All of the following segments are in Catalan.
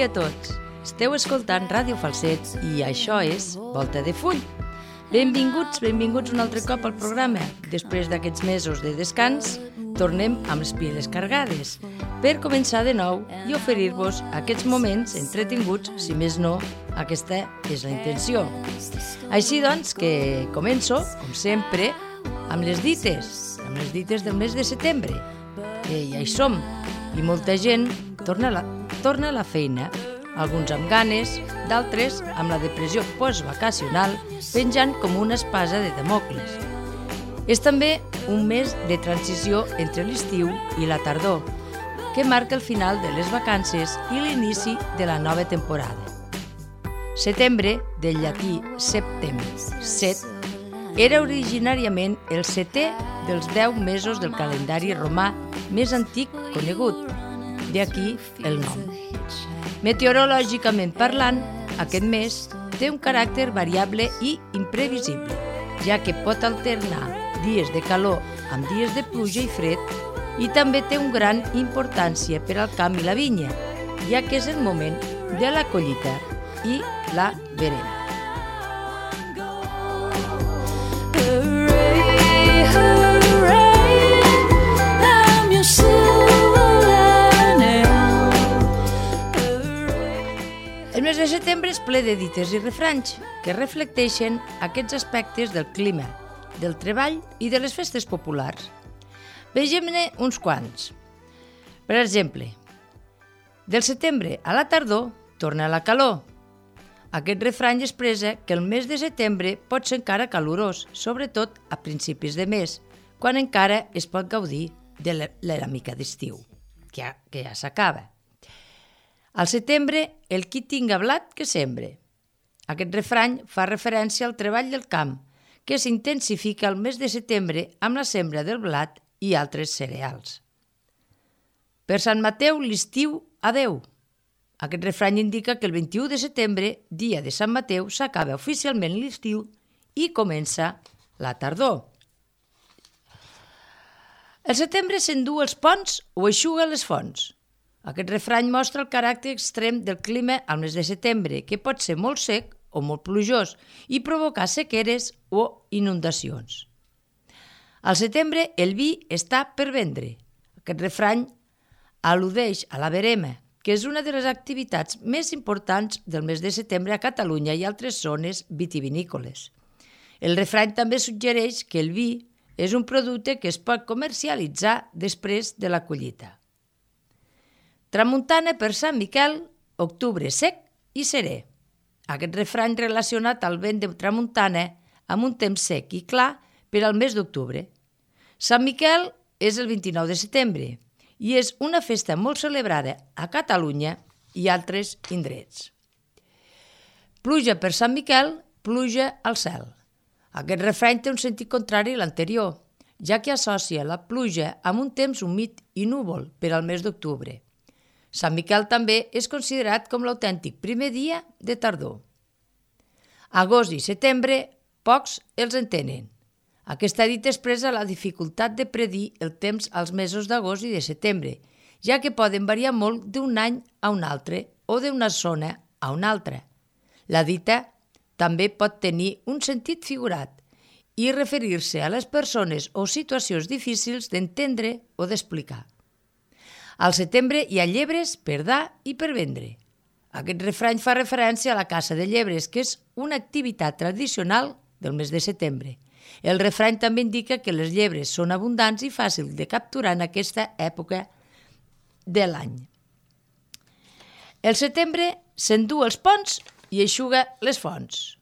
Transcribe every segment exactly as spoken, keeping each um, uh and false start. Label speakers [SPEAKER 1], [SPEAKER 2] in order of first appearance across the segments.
[SPEAKER 1] dia a tots. Esteu escoltant Ràdio Falset i això és Volta de Full. Benvinguts, benvinguts un altre cop al programa. Després d'aquests mesos de descans, tornem amb les piles cargades per començar de nou i oferir-vos aquests moments entretinguts, si més no, aquesta és la intenció. Així doncs que començo, com sempre, amb les dites, amb les dites del mes de setembre. Que ja hi som, i molta gent torna a la, torna a la feina, alguns amb ganes, d'altres amb la depressió postvacacional penjant com una espasa de Damocles. És també un mes de transició entre l'estiu i la tardor, que marca el final de les vacances i l'inici de la nova temporada. Setembre, del llatí septem, set, era originàriament el setè dels deu mesos del calendari romà més antic conegut, d'aquí el nom. Meteorològicament parlant, aquest mes té un caràcter variable i imprevisible, ja que pot alternar dies de calor amb dies de pluja i fred i també té una gran importància per al camp i la vinya, ja que és el moment de la collita i la verema. El mes de setembre és ple de dites i refranys que reflecteixen aquests aspectes del clima, del treball i de les festes populars. Vegem-ne uns quants. Per exemple, del setembre a la tardor torna la calor. Aquest refrany expressa que el mes de setembre pot ser encara calorós, sobretot a principis de mes, quan encara es pot gaudir de la mica d'estiu, que ja, que ja s'acaba. Al setembre, el qui tinga blat que sembre. Aquest refrany fa referència al treball del camp, que s'intensifica al mes de setembre amb la sembra del blat i altres cereals. Per Sant Mateu, l'estiu, adeu. Aquest refrany indica que el vint-i-u de setembre, dia de Sant Mateu, s'acaba oficialment l'estiu i comença la tardor. El setembre s'endú els ponts o eixuga les fonts. Aquest refrany mostra el caràcter extrem del clima al mes de setembre, que pot ser molt sec o molt plujós i provocar sequeres o inundacions. Al setembre el vi està per vendre. Aquest refrany al·ludeix a la verema, que és una de les activitats més importants del mes de setembre a Catalunya i altres zones vitivinícoles. El refrany també suggereix que el vi és un producte que es pot comercialitzar després de la collita. Tramuntana per Sant Miquel, octubre sec i serè. Aquest refrany relacionat al vent de tramuntana amb un temps sec i clar per al mes d'octubre. Sant Miquel és el vint-i-nou de setembre i és una festa molt celebrada a Catalunya i altres indrets. Pluja per Sant Miquel, pluja al cel. Aquest refrany té un sentit contrari a l'anterior, ja que associa la pluja amb un temps humit i núvol per al mes d'octubre. Sant Miquel també és considerat com l'autèntic primer dia de tardor. Agost i setembre, pocs els entenen. Aquesta dita expressa la dificultat de predir el temps als mesos d'agost i de setembre, ja que poden variar molt d'un any a un altre o d'una zona a una altra. La dita també pot tenir un sentit figurat i referir-se a les persones o situacions difícils d'entendre o d'explicar. Al setembre hi ha llebres per dar i per vendre. Aquest refrany fa referència a la caça de llebres, que és una activitat tradicional del mes de setembre. El refrany també indica que les llebres són abundants i fàcils de capturar en aquesta època de l'any. El setembre s'endú els ponts i eixuga les fonts.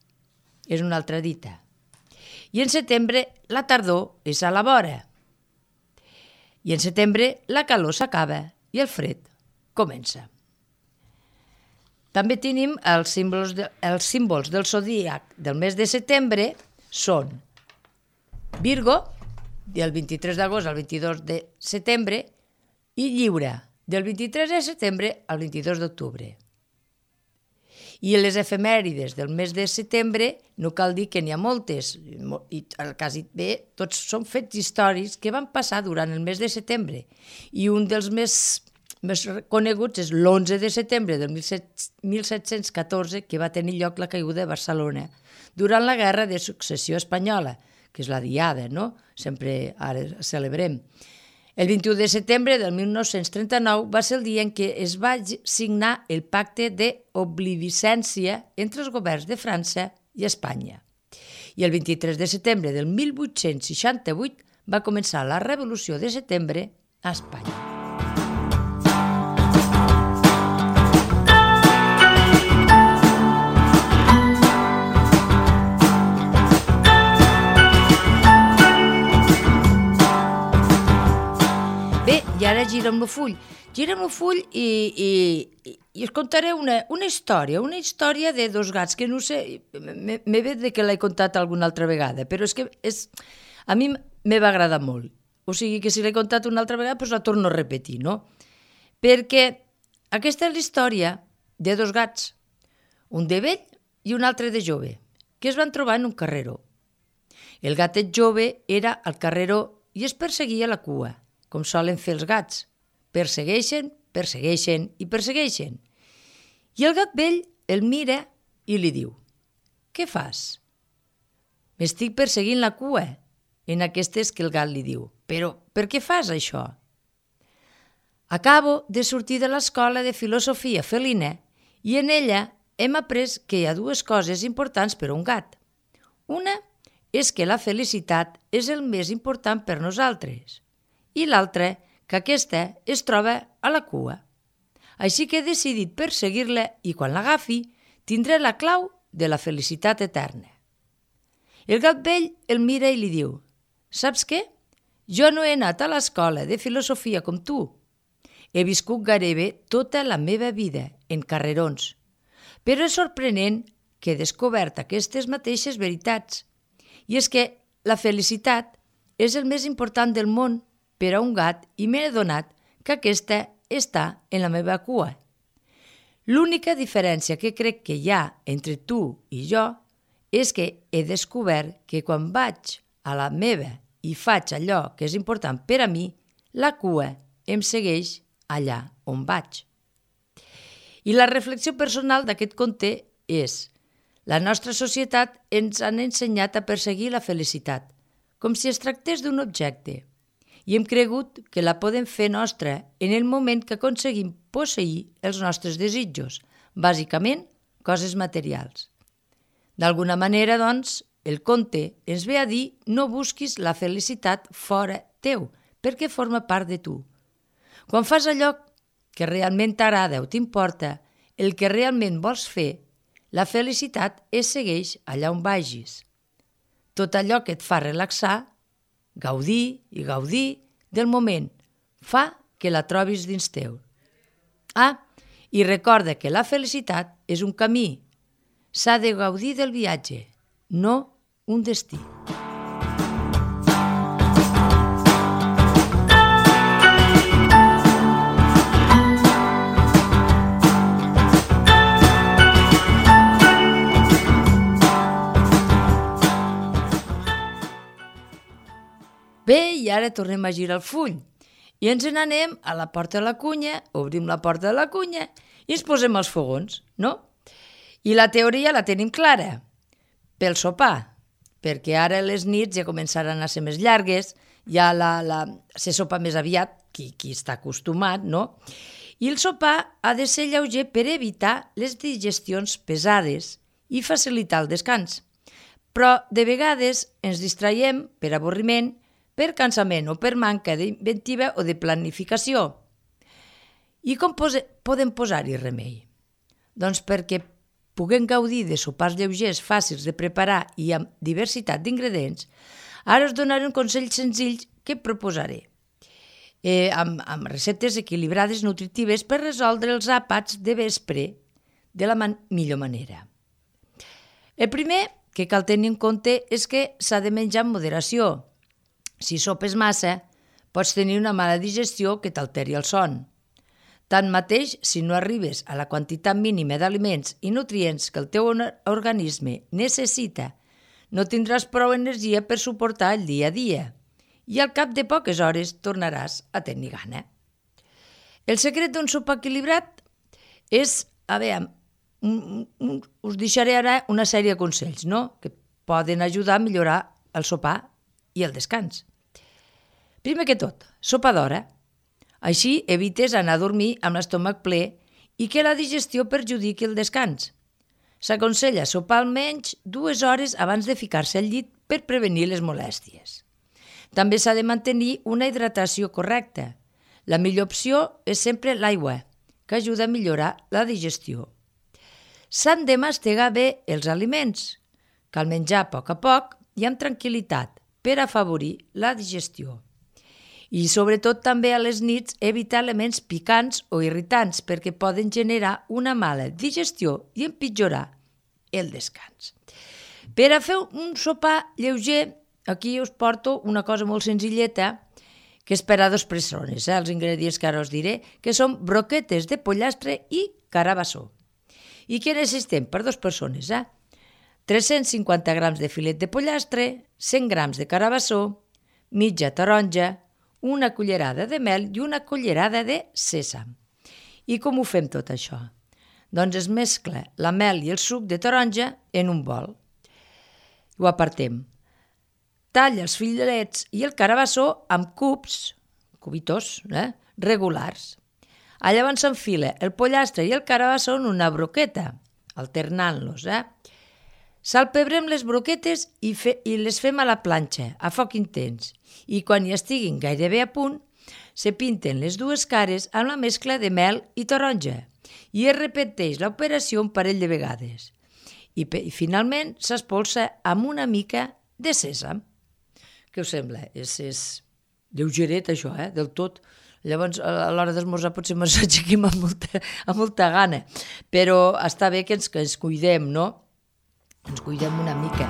[SPEAKER 1] És una altra dita. I en setembre la tardor és a la vora. I en setembre la calor s'acaba i el fred comença. També tenim els símbols, de, els símbols del zodíac del mes de setembre són Virgo, del vint-i-tres d'agost al vint-i-dos de setembre, i Lliure, del vint-i-tres de setembre al vint-i-dos d'octubre. I les efemèrides del mes de setembre no cal dir que n'hi ha moltes, i quasi bé tots són fets històrics que van passar durant el mes de setembre, i un dels més, més coneguts és l'onze de setembre del mil set-cents catorze, que va tenir lloc la caiguda de Barcelona durant la Guerra de Successió Espanyola, que és la Diada, no? Sempre ara celebrem. El vint-i-u de setembre del mil nou-cents trenta-nou va ser el dia en què es va signar el pacte d'oblivicència entre els governs de França i Espanya. I el vint-i-tres de setembre del mil vuit-cents seixanta-vuit va començar la Revolució de Setembre a Espanya. Bé, i ara girem el full. Girem el full i, i, i us contaré una, una història, una història de dos gats, que no sé, m'he vet que l'he contat alguna altra vegada, però és que és, a mi me va agradar molt. O sigui que si l'he contat una altra vegada, doncs la torno a repetir, no? Perquè aquesta és la història de dos gats, un de vell i un altre de jove, que es van trobar en un carreró. El gatet jove era al carreró i es perseguia la cua, com solen fer els gats. Persegueixen, persegueixen i persegueixen. I el gat vell el mira i li diu: «Què fas?» «M'estic perseguint la cua». En aquestes que el gat li diu: «Però per què fas això?» «Acabo de sortir de l'escola de filosofia felina i en ella hem après que hi ha dues coses importants per a un gat. Una és que la felicitat és el més important per nosaltres i l'altra que aquesta es troba a la cua. Així que he decidit perseguir-la i quan l'agafi tindré la clau de la felicitat eterna». El gat vell el mira i li diu: «Saps què? Jo no he anat a l'escola de filosofia com tu. He viscut gairebé tota la meva vida en carrerons, però és sorprenent que he descobert aquestes mateixes veritats. I és que la felicitat és el més important del món per a un gat i m'he adonat que aquesta està en la meva cua. L'única diferència que crec que hi ha entre tu i jo és que he descobert que quan vaig a la meva i faig allò que és important per a mi, la cua em segueix allà on vaig». I la reflexió personal d'aquest conte és: la nostra societat ens han ensenyat a perseguir la felicitat, com si es tractés d'un objecte, i hem cregut que la podem fer nostra en el moment que aconseguim posseir els nostres desitjos, bàsicament coses materials. D'alguna manera, doncs, el conte ens ve a dir: no busquis la felicitat fora teu, perquè forma part de tu. Quan fas allò que realment t'agrada o t'importa, el que realment vols fer, la felicitat es segueix allà on vagis. Tot allò que et fa relaxar, gaudir i gaudir del moment, fa que la trobis dins teu. Ah, i recorda que la felicitat és un camí. S'ha de gaudir del viatge, no un destí. Bé, i ara tornem a girar el full i ens n'anem a la porta de la cunya, obrim la porta de la cunya i ens posem els fogons, no? I la teoria la tenim clara, pel sopar, perquè ara les nits ja començaran a ser més llargues, ja la, la, se sopa més aviat, qui, qui està acostumat, no? I el sopar ha de ser lleuger per evitar les digestions pesades i facilitar el descans. Però de vegades ens distraiem per avorriment, per cansament o per manca d'inventiva o de planificació. I com pose, podem posar-hi remei? Doncs perquè puguem gaudir de sopars lleugers, fàcils de preparar i amb diversitat d'ingredients, ara us donaré un consell senzill que proposaré, eh, amb, amb receptes equilibrades, nutritives, per resoldre els àpats de vespre de la man- millor manera. El primer que cal tenir en compte és que s'ha de menjar amb moderació. Si sopes massa, pots tenir una mala digestió que t'alteri el son. Tanmateix, si no arribes a la quantitat mínima d'aliments i nutrients que el teu organisme necessita, no tindràs prou energia per suportar el dia a dia i al cap de poques hores tornaràs a tenir gana. El secret d'un sopar equilibrat és, a veure, us deixaré ara una sèrie de consells, no?, que poden ajudar a millorar el sopar i el descans. Primer que tot, sopa d'hora. Així evites anar a dormir amb l'estómac ple i que la digestió perjudiqui el descans. S'aconsella sopar almenys dues hores abans de ficar-se al llit per prevenir les molèsties. També s'ha de mantenir una hidratació correcta. La millor opció és sempre l'aigua, que ajuda a millorar la digestió. S'han de mastegar bé els aliments. Cal menjar a poc a poc i amb tranquil·litat per afavorir la digestió. I sobretot també a les nits evitar aliments picants o irritants perquè poden generar una mala digestió i empitjorar el descans. Per a fer un sopar lleuger, aquí us porto una cosa molt senzilleta que és per a dues persones, eh? Els ingredients que ara us diré, que són broquetes de pollastre i carabassó. I què necessitem per dues persones? Eh? tres-cents cinquanta grams de filet de pollastre, cent grams de carabassó, mitja taronja, una cullerada de mel i una cullerada de sèsam. I com ho fem tot això? Doncs es mescla la mel i el suc de taronja en un bol. Ho apartem. Talla els filets i el carabassó amb cubs, cubitos, eh, regulars. Llavors s'enfila el pollastre i el carabassó en una broqueta, alternant-los. Eh? Salpebrem les broquetes i, fe, i les fem a la planxa, a foc intens. I quan ja estiguin gairebé a punt, se pinten les dues cares amb la mescla de mel i taronja i es repeteix l'operació un parell de vegades. I, i finalment s'espolsa amb una mica de sèsam. Què us sembla? És, és lleugeret això, eh? Del tot. Llavors, a l'hora d'esmorzar potser ens aixequem amb molta, amb molta gana, però està bé que ens, que ens cuidem, no? Ens cuidem una mica.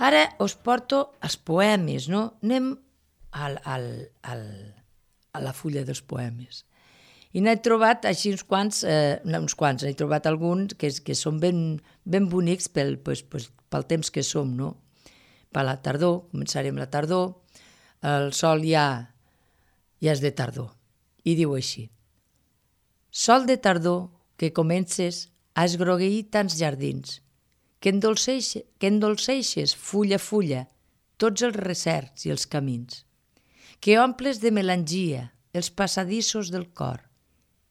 [SPEAKER 1] Ara us porto els poemes, no? Anem al, al, al, a la fulla dels poemes. I n'he trobat així uns quants, eh, no, uns quants, n'he trobat alguns que, que són ben, ben bonics pel, pues, pues, pel temps que som, no? Per la tardor, començarem la tardor, el sol ja, ja és de tardor. I diu així: sol de tardor que comences a esgrogueir tants jardins, que endolceixes, que endolceixes fulla a fulla tots els recerts i els camins, que omples de melangia els passadissos del cor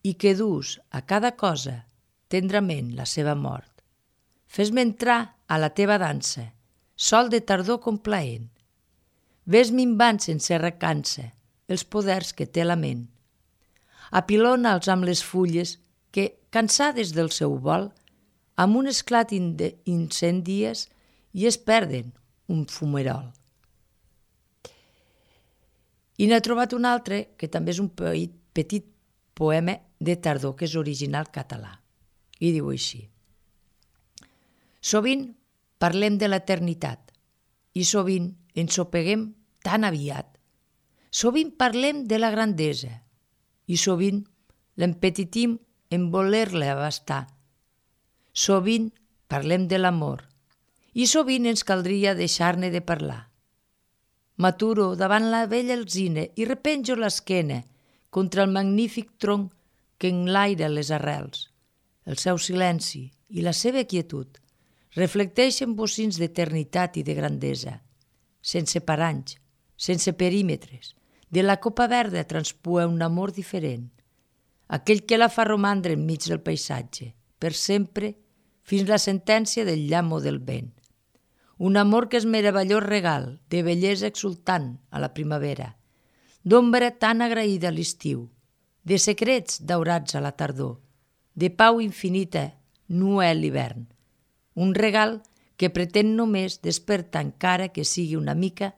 [SPEAKER 1] i que dus a cada cosa tendrament la seva mort. Fes-me entrar a la teva dansa, sol de tardor complaent. Ves minvant sense recança els poders que té la ment. Apilona'ls amb les fulles que, cansades del seu vol, amb un esclat incendies i es perden un fumerol. I n'he trobat un altre, que també és un petit poema de tardor, que és original català. I diu així: sovint parlem de l'eternitat i sovint ens sopeguem tan aviat. Sovint parlem de la grandesa i sovint l'empetitim en voler-la abastar. Sovint parlem de l'amor i sovint ens caldria deixar-ne de parlar. M'aturo davant la vella alzina i repenjo l'esquena contra el magnífic tronc que enlaira les arrels. El seu silenci i la seva quietud reflecteixen bocins d'eternitat i de grandesa. Sense paranys, sense perímetres, de la copa verda transpua un amor diferent, aquell que la fa romandre enmig del paisatge, per sempre, fins la sentència del llamp o del vent. Un amor que és meravellós regal de bellesa exultant a la primavera, d'ombra tan agraïda a l'estiu, de secrets daurats a la tardor, de pau infinita nua a l'hivern. Un regal que pretén només despertar encara que sigui una mica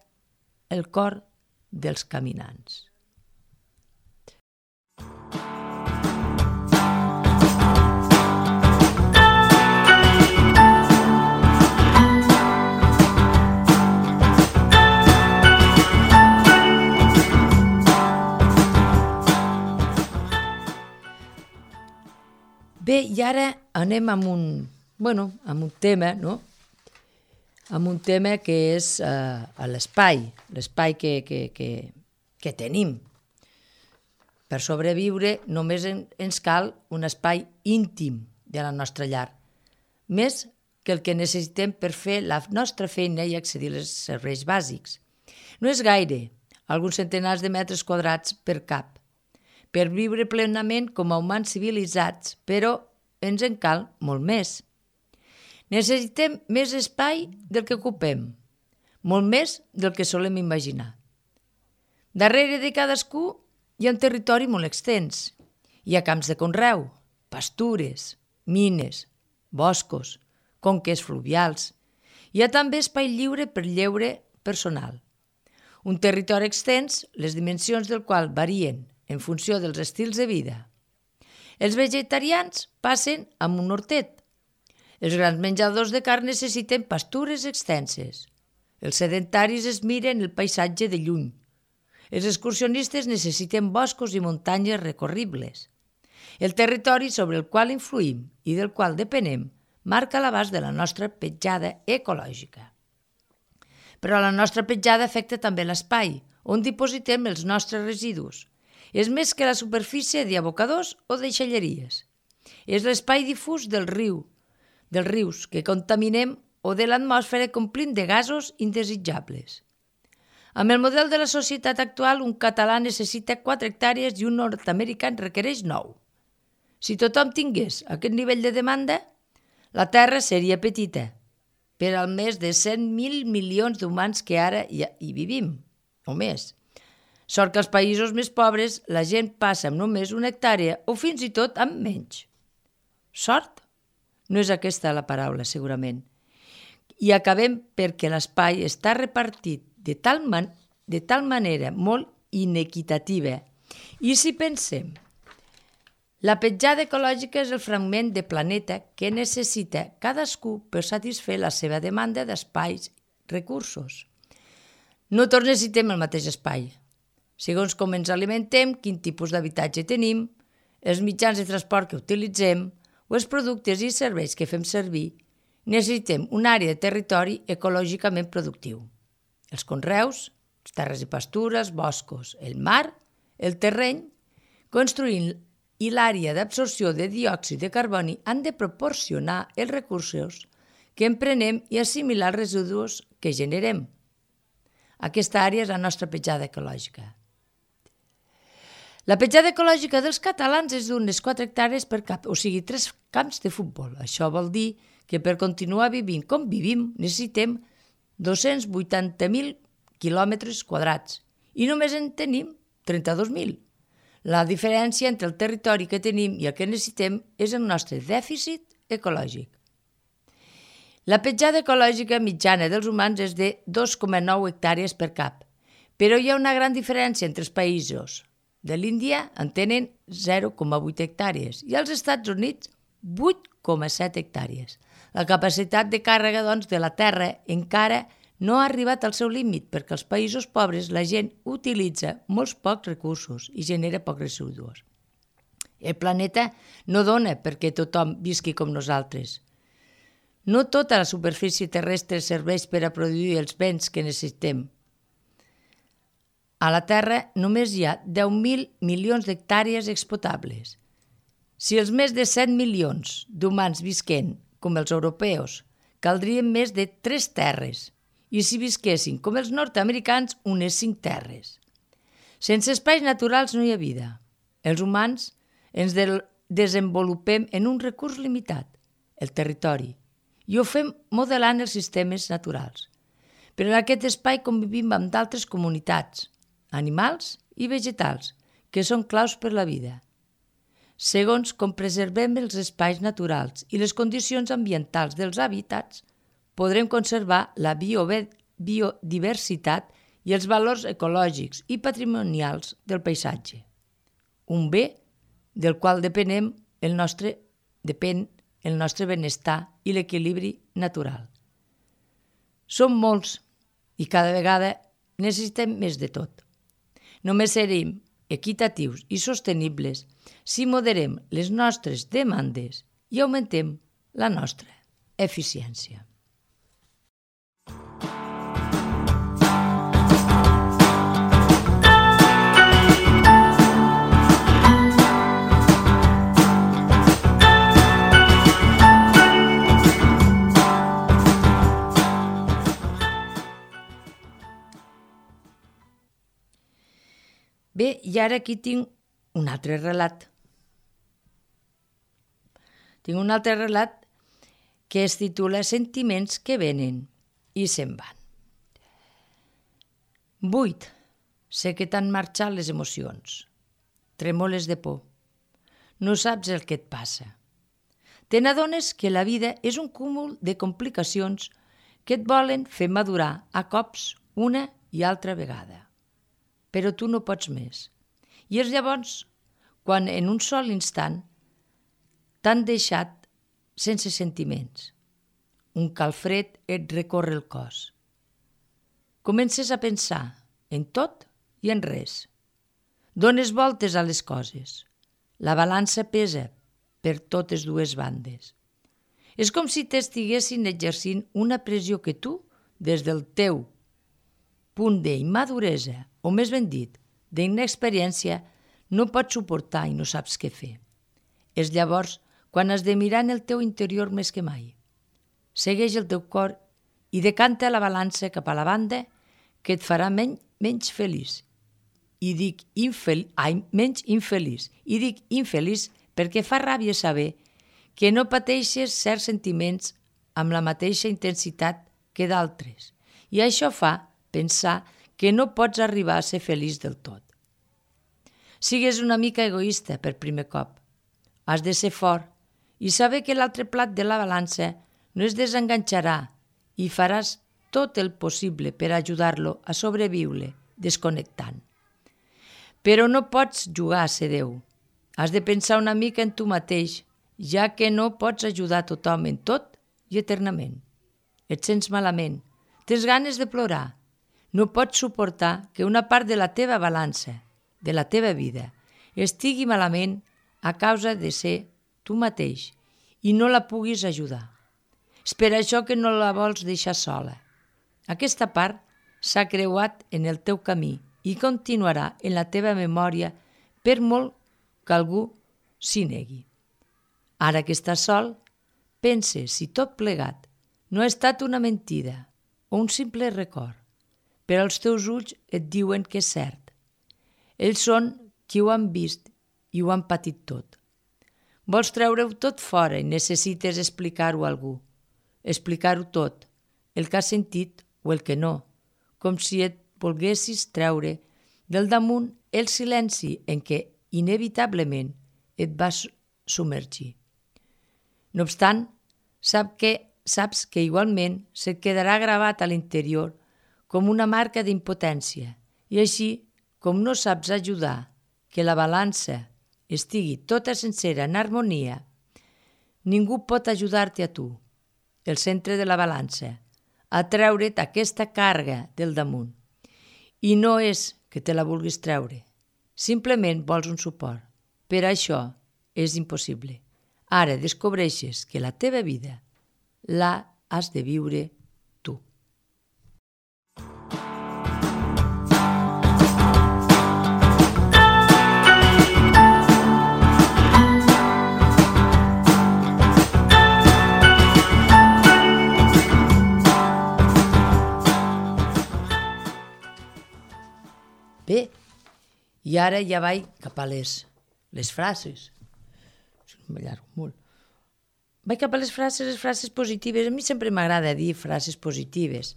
[SPEAKER 1] el cor dels caminants. Bé, i ara anem amb un, bueno, amb un tema, no? Amb un tema que és uh, l'espai, l'espai que, que, que, que tenim. Per sobreviure només en, ens cal un espai íntim de la nostra llar, més que el que necessitem per fer la nostra feina i accedir als serveis bàsics. No és gaire, alguns centenars de metres quadrats per cap, per viure plenament com a humans civilitzats, però ens en cal molt més. Necessitem més espai del que ocupem, molt més del que solem imaginar. Darrere de cadascú hi ha un territori molt extens. Hi ha camps de conreu, pastures, mines, boscos, conques fluvials. Hi ha també espai lliure per lleure personal. Un territori extens, les dimensions del qual varien en funció dels estils de vida. Els vegetarians passen amb un hortet. Els grans menjadors de carn necessiten pastures extenses. Els sedentaris es miren el paisatge de lluny. Els excursionistes necessiten boscos i muntanyes recorribles. El territori sobre el qual influïm i del qual depenem marca l'abast de la nostra petjada ecològica. Però la nostra petjada afecta també l'espai, on dipositem els nostres residus. És més que la superfície d'abocadors o deixalleries. És l'espai difús del riu, dels rius que contaminem o de l'atmosfera que omplim de gasos indesitjables. Amb el model de la societat actual, un català necessita quatre hectàrees i un nord-americà en requereix nou. Si tothom tingués aquest nivell de demanda, la Terra seria petita, per al més de cent mil milions d'humans que ara hi, hi vivim, o més. Sort que als països més pobres la gent passa amb només una hectàrea o fins i tot amb menys. Sort? No és aquesta la paraula, segurament. I acabem perquè l'espai està repartit de tal, man- de tal manera molt inequitativa. I si pensem, la petjada ecològica és el fragment de planeta que necessita cadascú per satisfer la seva demanda d'espais recursos. No tots necessitem el mateix espai. Segons com ens alimentem, quin tipus d'habitatge tenim, els mitjans de transport que utilitzem o els productes i serveis que fem servir, necessitem una àrea de territori ecològicament productiu. Els conreus, les terres i pastures, boscos, el mar, el terreny, construint i l'àrea d'absorció de diòxid de carboni han de proporcionar els recursos que emprenem i assimilar els residus que generem. Aquesta àrea és la nostra petjada ecològica. La petjada ecològica dels catalans és d'unes quatre hectàrees per cap, o sigui, tres camps de futbol. Això vol dir que per continuar vivint com vivim necessitem dos-cents vuitanta mil quilòmetres quadrats i només en tenim trenta-dos mil. La diferència entre el territori que tenim i el que necessitem és el nostre dèficit ecològic. La petjada ecològica mitjana dels humans és de dos coma nou hectàrees per cap, però hi ha una gran diferència entre els països. De l'Índia en tenen zero coma vuit hectàrees i als Estats Units vuit coma set hectàrees. La capacitat de càrrega, doncs, de la Terra encara no ha arribat al seu límit perquè als països pobres la gent utilitza molts pocs recursos i genera pocs residus. El planeta no dona perquè tothom visqui com nosaltres. No tota la superfície terrestre serveix per a produir els béns que necessitem. A la Terra només hi ha deu mil milions d'hectàrees explotables. Si els més de set milions d'humans visquen com els europeus, caldrien més de tres terres, i si visquessin com els nord-americans, unes cinc terres. Sense espais naturals no hi ha vida. Els humans ens de- desenvolupem en un recurs limitat, el territori, i ho fem modelant els sistemes naturals. Però en aquest espai convivim amb d'altres comunitats, animals i vegetals, que són claus per la vida. Segons com preservem els espais naturals i les condicions ambientals dels hàbitats, podrem conservar la bio- biodiversitat i els valors ecològics i patrimonials del paisatge. Un bé del qual depenem el nostre, depèn el nostre benestar i l'equilibri natural. Som molts i cada vegada necessitem més de tot. Només serem equitatius i sostenibles si moderem les nostres demandes i augmentem la nostra eficiència. Bé, i ara aquí tinc un altre relat. Tinc un altre relat que es titula Sentiments que venen i se'n van. Buit, sé que t'han marxat les emocions. Tremoles de por. No saps el que et passa. Te n'adones que la vida és un cúmul de complicacions que et volen fer madurar a cops una i altra vegada. Però tu no pots més. I és llavors quan en un sol instant t'han deixat sense sentiments. Un calfred et recorre el cos. Comences a pensar en tot i en res. Dones voltes a les coses. La balança pesa per totes dues bandes. És com si t'estiguessin exercint una pressió que tu, des del teu punt d'immaduresa, o més ben dit, d'inexperiència, no pots suportar i no saps què fer. És llavors quan has de mirar en el teu interior més que mai. Segueix el teu cor i decanta la balança cap a la banda que et farà menys, menys feliç. I dic infel, ai, menys infeliç. I dic infeliç perquè fa ràbia saber que no pateixes certs sentiments amb la mateixa intensitat que d'altres. I això fa pensar que no pots arribar a ser feliç del tot. Sigues una mica egoista per primer cop. Has de ser fort i saber que l'altre plat de la balança no es desenganxarà i faràs tot el possible per ajudar-lo a sobreviure desconnectant. Però no pots jugar a ser Déu. Has de pensar una mica en tu mateix, ja que no pots ajudar tothom en tot i eternament. Et sents malament, tens ganes de plorar. No pots suportar que una part de la teva balança, de la teva vida, estigui malament a causa de ser tu mateix i no la puguis ajudar. És per això que no la vols deixar sola. Aquesta part s'ha creuat en el teu camí i continuarà en la teva memòria per molt que algú s'hi negui. Ara que estàs sol, pensa si tot plegat no ha estat una mentida o un simple record. Però els teus ulls et diuen que és cert. Ells són qui ho han vist i ho han patit tot. Vols treure-ho tot fora i necessites explicar-ho a algú. Explicar-ho tot, el que has sentit o el que no, com si et volguessis treure del damunt el silenci en què inevitablement et vas submergir. No obstant, sap que, saps que igualment se't quedarà gravat a l'interior com una marca d'impotència, i així, com no saps ajudar que la balança estigui tota sencera en harmonia, ningú pot ajudar-te a tu, el centre de la balança, a treure't aquesta càrrega del damunt. I no és que te la vulguis treure, simplement vols un suport. Per això és impossible. Ara descobreixes que la teva vida la has de viure tu. Bé, i ara ja vaig cap a les, les frases. M'allargo molt. Vaig cap a les frases, les frases positives. A mi sempre m'agrada dir frases positives,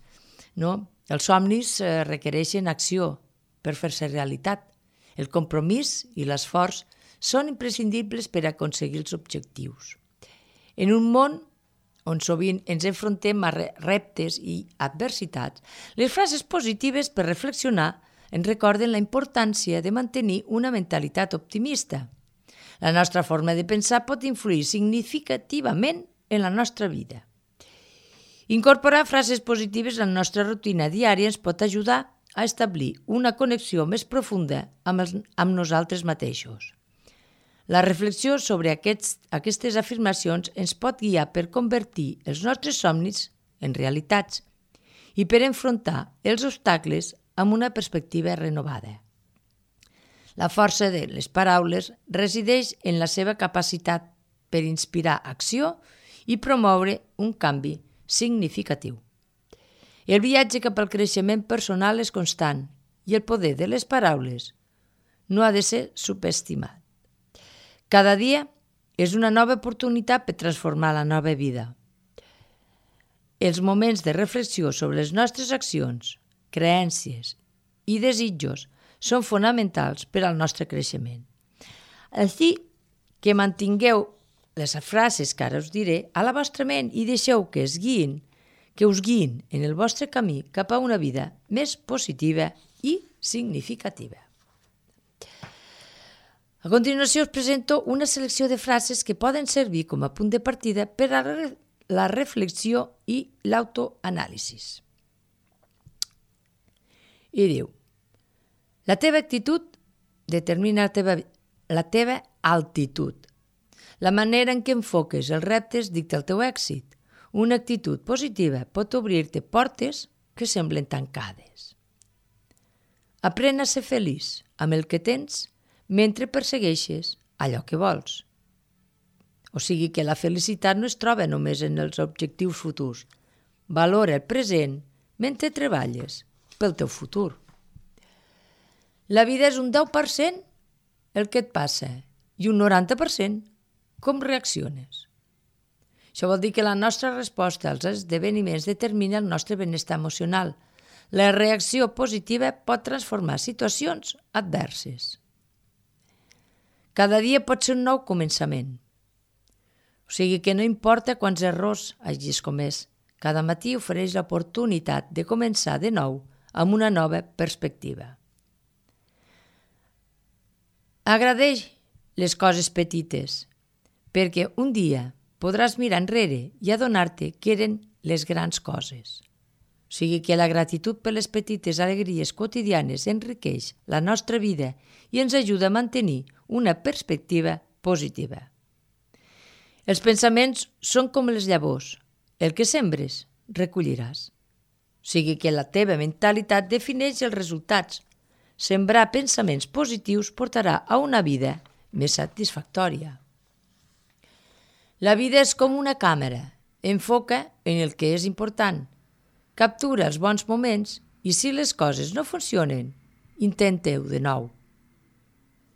[SPEAKER 1] no? Els somnis eh, requereixen acció per fer-se realitat. El compromís i l'esforç són imprescindibles per aconseguir els objectius. En un món on sovint ens enfrontem a reptes i adversitats, les frases positives per reflexionar ens recorden la importància de mantenir una mentalitat optimista. La nostra forma de pensar pot influir significativament en la nostra vida. Incorporar frases positives a la nostra rutina diària ens pot ajudar a establir una connexió més profunda amb, els, amb nosaltres mateixos. La reflexió sobre aquests, aquestes afirmacions ens pot guiar per convertir els nostres somnis en realitats i per enfrontar els obstacles amb una perspectiva renovada. La força de les paraules resideix en la seva capacitat per inspirar acció i promoure un canvi significatiu. El viatge cap al creixement personal és constant i el poder de les paraules no ha de ser subestimat. Cada dia és una nova oportunitat per transformar la nova vida. Els moments de reflexió sobre les nostres accions, creences i desitjos són fonamentals per al nostre creixement. Així que mantingueu les frases que ara us diré a la vostra ment i deixeu que es guiïn, que us guiïn en el vostre camí cap a una vida més positiva i significativa. A continuació us presento una selecció de frases que poden servir com a punt de partida per a la reflexió i l'autoanàlisi. I diu: la teva actitud determina la teva, la teva altitud. La manera en què enfoques els reptes dicta el teu èxit. Una actitud positiva pot obrir-te portes que semblen tancades. Aprèn a ser feliç amb el que tens mentre persegueixes allò que vols. O sigui que la felicitat no es troba només en els objectius futurs. Valora el present mentre treballes pel teu futur. La vida és un deu per cent el que et passa i un noranta per cent com reacciones. Això vol dir que la nostra resposta als esdeveniments determina el nostre benestar emocional. La reacció positiva pot transformar situacions adverses. Cada dia pot ser un nou començament. O sigui que no importa quants errors hagis comès, cada matí ofereix l'oportunitat de començar de nou amb una nova perspectiva. Agradeix les coses petites, perquè un dia podràs mirar enrere i adonar-te que eren les grans coses. O sigui que la gratitud per les petites alegries quotidianes enriqueix la nostra vida i ens ajuda a mantenir una perspectiva positiva. Els pensaments són com les llavors. El que sembres, recolliràs. O sigui que la teva mentalitat defineix els resultats. Sembrar pensaments positius portarà a una vida més satisfactòria. La vida és com una càmera. Enfoca en el que és important. Captura els bons moments i si les coses no funcionen, intenteu de nou.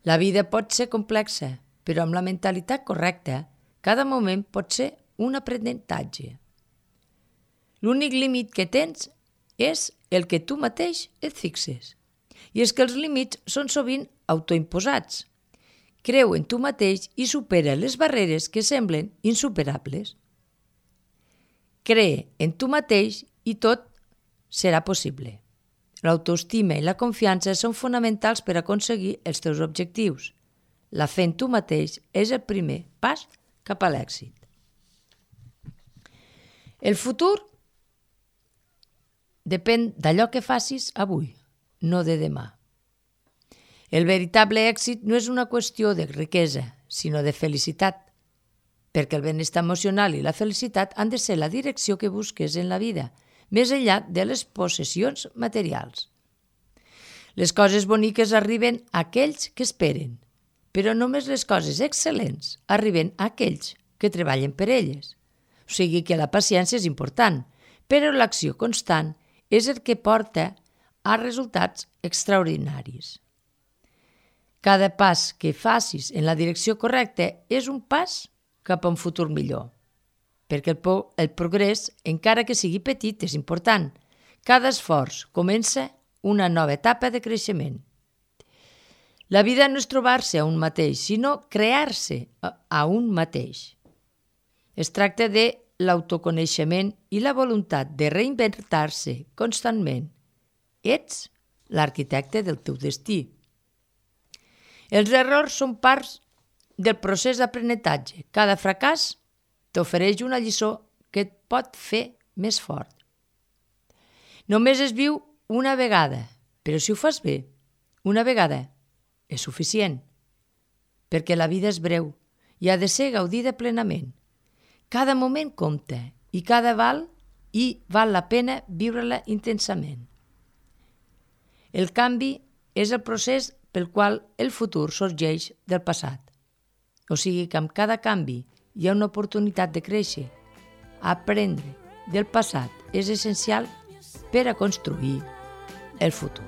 [SPEAKER 1] La vida pot ser complexa, però amb la mentalitat correcta, cada moment pot ser un aprenentatge. L'únic límit que tens és el que tu mateix et fixes. I és que els límits són sovint autoimposats. Creu en tu mateix i supera les barreres que semblen insuperables. Cree en tu mateix i tot serà possible. L'autoestima i la confiança són fonamentals per aconseguir els teus objectius. La fe en tu mateix és el primer pas cap a l'èxit. El futur depèn d'allò que facis avui, no de demà. El veritable èxit no és una qüestió de riquesa, sinó de felicitat, perquè el benestar emocional i la felicitat han de ser la direcció que busques en la vida, més enllà de les possessions materials. Les coses boniques arriben a aquells que esperen, però només les coses excel·lents arriben a aquells que treballen per elles. O sigui que la paciència és important, però l'acció constant és el que porta a resultats extraordinaris. Cada pas que facis en la direcció correcta és un pas cap a un futur millor. Perquè el, po- el progrés, encara que sigui petit, és important. Cada esforç comença una nova etapa de creixement. La vida no és trobar-se a un mateix, sinó crear-se a un mateix. Es tracta de l'autoconeixement i la voluntat de reinventar-se constantment. Ets l'arquitecte del teu destí. Els errors són parts del procés d'aprenentatge. Cada fracàs t'ofereix una lliçó que et pot fer més fort. Només es viu una vegada, Però si ho fas bé, una vegada, és suficient, perquè la vida és breu i ha de ser gaudida plenament. Cada moment compta i cada val i val la pena viure-la intensament. El canvi és el procés pel qual el futur sorgeix del passat. O sigui que amb cada canvi hi ha una oportunitat de créixer. Aprendre del passat és essencial per a construir el futur.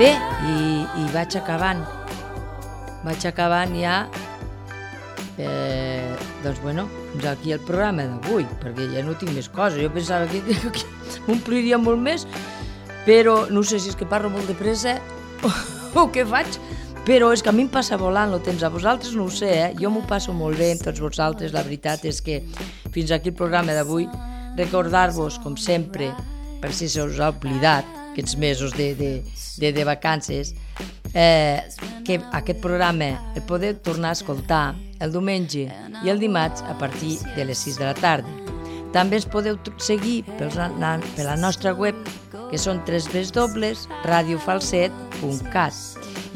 [SPEAKER 1] Bé, i, i vaig acabant. Vaig acabant ja, eh, doncs bueno, fins aquí el programa d'avui, perquè ja no tinc més coses. Jo pensava que, que, que m'ompliria molt més, però no sé si és que parlo molt de pressa o, o què faig, però és que a mi em passa volant el temps. A vosaltres no ho sé, eh? Jo m'ho passo molt bé amb tots vosaltres. La veritat és que fins aquí el programa d'avui, recordar-vos, com sempre, per si se us ha oblidat, aquests mesos de, de, de, de vacances, eh, que aquest programa el podeu tornar a escoltar el diumenge i el dimarts a partir de les sis de la tarda. També ens podeu seguir per la, per la nostra web, que són w w w punt radio falset punt cat.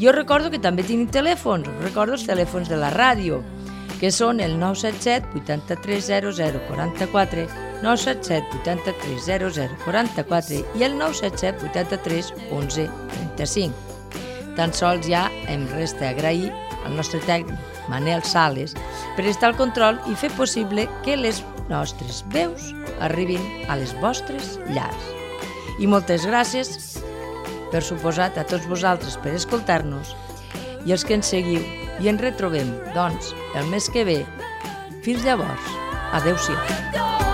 [SPEAKER 1] Jo recordo que també tenim telèfons, recordo els telèfons de la ràdio, que són el nou set set vuitanta-tres zero zero quaranta-quatre, nou set set vuitanta-tres zero zero quaranta-quatre i el nou set set vuitanta-tres onze trenta-cinc. Tan sols ja em resta agrair al nostre tècnic Manel Sales per estar al control i fer possible que les nostres veus arribin a les vostres llars. I moltes gràcies, per suposat, a tots vosaltres per escoltar-nos i els que ens seguiu. I ens retrobem, doncs, el mes que ve. Fins llavors, adeu-siau.